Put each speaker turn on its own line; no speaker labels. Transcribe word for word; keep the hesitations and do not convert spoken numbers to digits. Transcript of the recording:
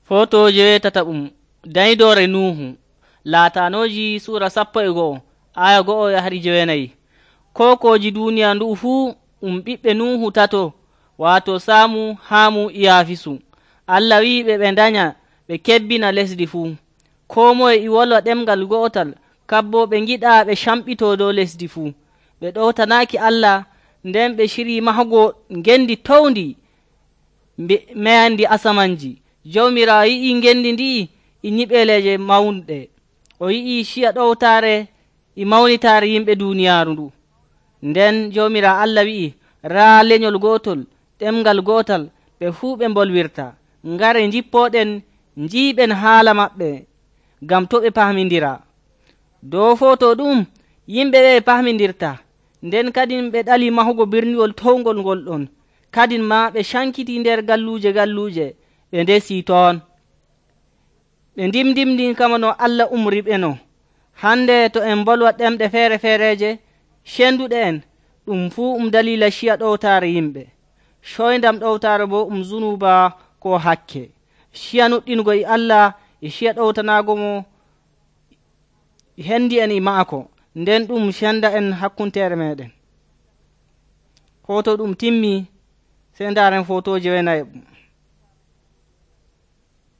Fotoje wetataɓum daydore Nuhu laatanoji sura sappo e go'o aya go'o yahari jowenayi. Kokoji duniya ndu fuu um ɓiɓɓe Nuhu tato, wato Samu, Hamu, Iyafisu. Allah wi'iɓe ɓe danya ɓe kebbina lesdi fuu. Ko moye e wolwa ɗemgal go'otal, kabbo ɓe ngiɗa ɓe camɓito dow lesdi fuu. Ɓe ɗowtanaki Allah, nden ɓe ciri mahugo ngendi towndi meyandi asamanji. Jawmirawo yi'i ngendi ndi e nyiɓeleje mawnɗe. O yi'i ciya ɗowtare e mawnitare yimɓe duniyaaru ndu. Nden Jawmirawo Allah wi'i raa lenyol gotol, ɗemgal gotal, ɓe fuu ɓe mbolwirta. Ngare njippoɗen njiiɓen haala maɓɓe, ngam to ɓe pahmindira. Dow foto ɗum yimɓe ɓe pahmindirta. Nden kadin ɓe ɗali mahugo birniwol towngol ngol ɗon. Kadin ma ɓe cankiti nder galluje galluje ɓe ndesi toon. Ɓe ndimdimdi kama no Allah umriɓe no. Hande to en bolwa ɗemɗe feere feereje cenduɗe en, ɗum fuu um dalila ciya ɗowtare yimɓe. Coyndam ɗowtare bo um zunuba ko hakke. Ciya nuɗɗingo e Allah e ciya ɗowtanago mo hendi en e maako, nden ɗum cenda en hakkuntere meɗen. Foto ɗum timmi, sey ndaren fotoje wenayi.